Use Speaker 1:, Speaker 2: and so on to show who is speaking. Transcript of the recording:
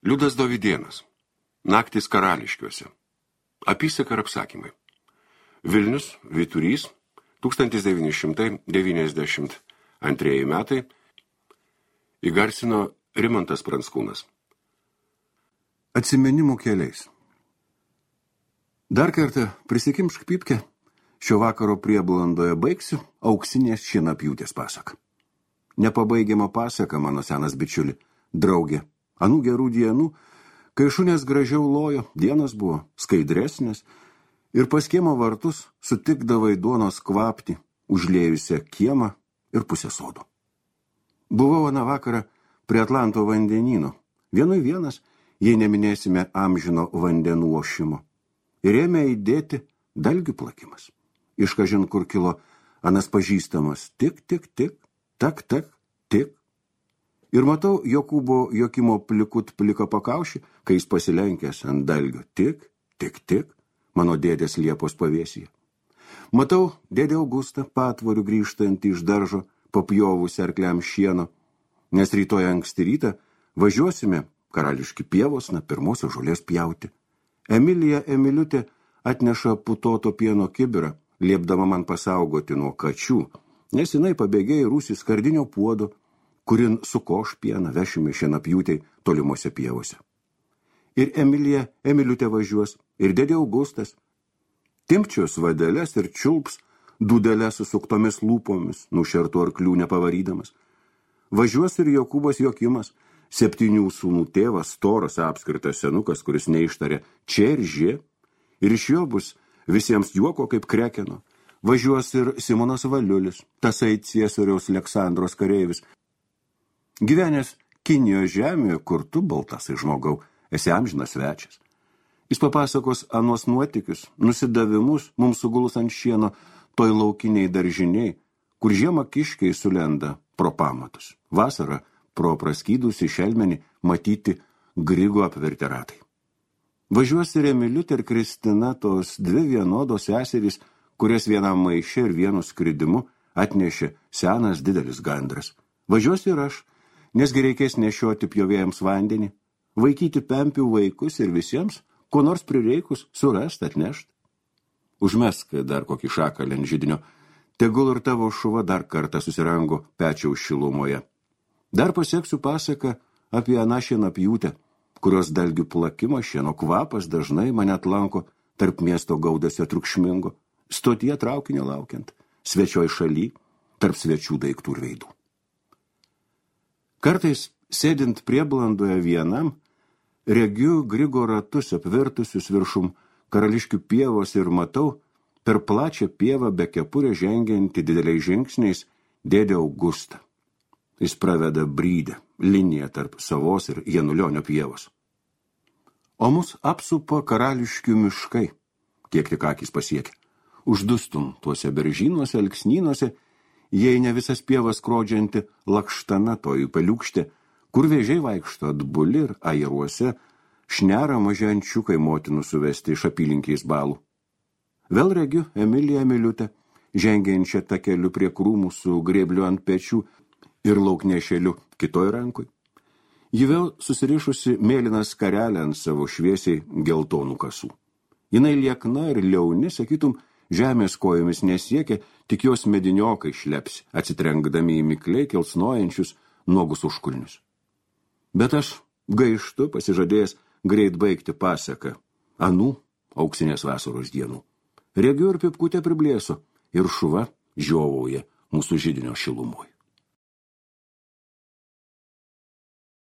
Speaker 1: Liudas Dovydėnas. Naktys karališkiuose. Apysaka ir apsakymai. Vilnius, Vyturys, 1992 metai. Įgarsino Rimantas Pranckūnas.
Speaker 2: Atsiminimų keliais. Dar kartą prisikimšk pypkę, šio vakaro prieblandoje baigsiu auksinės šienapjūtės pasaką. Nepabaigiama pasaka, mano senas bičiuli, draugė. Anų gerų dienų, kai šunės gražiau lojo, dienos buvo skaidresnės ir pas kiemo vartus sutikdavai duonos kvapti, užlėjusią kiemą ir pusę sodo. Buvau aną vakarą prie Atlanto vandenyno, vienui vienas, jei neminėsime amžino vandenų ošimo, ir ėmė įdėti dalgių plakimas. Iš kažin kur kilo anas pažįstamas tik, tik, tik, tak, tak, tik. Ir matau Jokūbo Jokimo plikut plika pakaušį, kai jis pasilenkęs ant dalgio. Tik, tik, tik, mano dėdės Liepos pavėsyje. Matau dėdė Augustą patvorių grįžtant iš daržo, papjovusi arkliam šieno, nes rytoj anksti rytą važiuosime karališki pievosna pirmosios žolės pjauti. Emilija Emiliutė atneša putoto pieno kibirą, liepdama man pasaugoti nuo kačių, nes jinai pabėgė į rūsį skardinio puodo, kurin sukoš pieną vešime šienapjūtei tolimuose pievose. Ir Emilija Emiliutė važiuos, ir dėdė Augustas. Timpčios vadeles ir čiulps dūdelę susuktomis lūpomis, nušertų arklių nepavarydamas. Važiuos ir Jokūbas Jokimas, 7 sūnų tėvas, storas apskritas senukas, kuris neištarė čia ir žė, ir iš jo bus visiems juoko kaip krekeno. Važiuos ir Simonas Valiulis, tasai Ciesoriaus Aleksandros kareivis, gyvenęs Kinijos žemėje, kur tu, baltasai žmogau, esi amžinas svečias. Jis papasakos anuos nuotykius, nusidavimus mums sugulus ant šieno toj laukiniai daržiniai, kur žiemą kiškiai sulenda pro pamatus. Vasarą pro praskydusi šelmenį matyti Grigo apvertę ratai. Važiuos ir Emiliutė ir Kristina, tos 2 vienodos seserys, kurias vienam maiše ir vienu skridimu atnešė senas didelis gandras. Važiuos ir aš, nesgi reikės nešioti pjovėjams vandenį, vaikyti pempių vaikus ir visiems, ko nors prireikus, surasti, atnešti. Užmesk dar kokį šakalį ant židinio, tegul ir tavo šuva dar kartą susirango pečiaus šilumoje. Dar pasieksiu pasaką apie aną šienapjūtę, kurios dalgių plakimo šieno kvapas dažnai mane atlanko tarp miesto gaudesio triukšmingo, stotyje traukinio laukiant, svečioj šaly, tarp svečių daiktų ir veidų. Kartais, sėdint prieblandoje vienam, regiu Grigo ratus apvertusius viršum karališkių pievos ir matau per plačią pievą be kepurę žengiantį dideliais žingsniais dėdė Augustą. Jis praveda brydę, liniją tarp Savos ir Janulionio pievos. O mus apsupa karališkių miškai, kiek tik akys pasiekia. Uždustum tuose beržynuose, alksnynuose, jei ne visas pievas skrodžianti lakštana toji paliukštė, kur vėžiai vaikšto atbuli ir airuose, šnera maži ančiukai motinų suvesti iš apylinkiais balų. Vėl regiu Emiliją Emiliutę, žengiančią takeliu prie krūmų su grėbliu ant pečių ir lauknešėliu kitoj rankoj. Ji vėl susirišusi mėlyną skarelę ant savo šviesiai geltonų kasų. Jinai liekna ir liauni, sakytum, žemės kojomis nesiekia, tik jos mediniokai šlepsi, atsitrenkdami į mikliai kelsnojančius nuogus užkulnius. Bet aš gaištu pasižadėjęs greit baigti pasaką anų auksinės vasaros dienų. Regiu ir pipkutę priblėso, ir šuva žiovauja mūsų židinio šilumoj.